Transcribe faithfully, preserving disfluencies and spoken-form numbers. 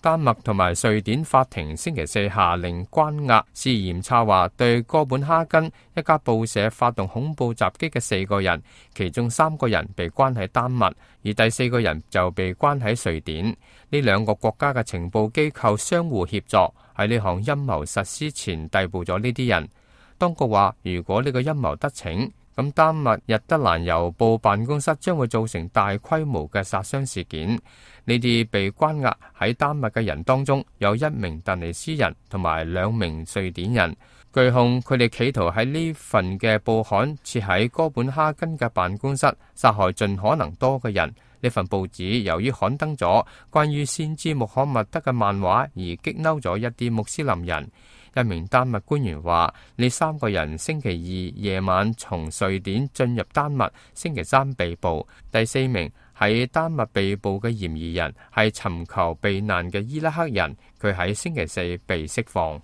丹麥同埋瑞典法庭星期四下令關押涉嫌策劃對哥本哈根一家報社發動恐怖襲擊嘅四個人，其中三個人被關喺丹麥，而第四個人就被關喺瑞典。呢兩個國家嘅情報機構相互協助，喺呢項陰謀實施前逮捕咗呢啲人。當局話，如果呢個陰謀得逞，咁丹麥日德蘭郵報辦公室將會造成大規模嘅殺傷事件。呢啲被關押喺丹麥嘅人當中，有一名突尼斯人同埋兩名瑞典人。據控，佢哋企圖喺呢份嘅報刊設喺哥本哈根嘅辦公室，殺害盡可能多嘅人。呢份報紙由於刊登咗關於先知穆罕默德嘅漫畫，而激嬲咗一啲穆斯林人。一名丹麥官員話：呢三個人星期二夜晚從瑞典進入丹麥，星期三被捕。第四名喺丹麥被捕嘅嫌疑人係尋求避難嘅伊拉克人，佢喺星期四被釋放。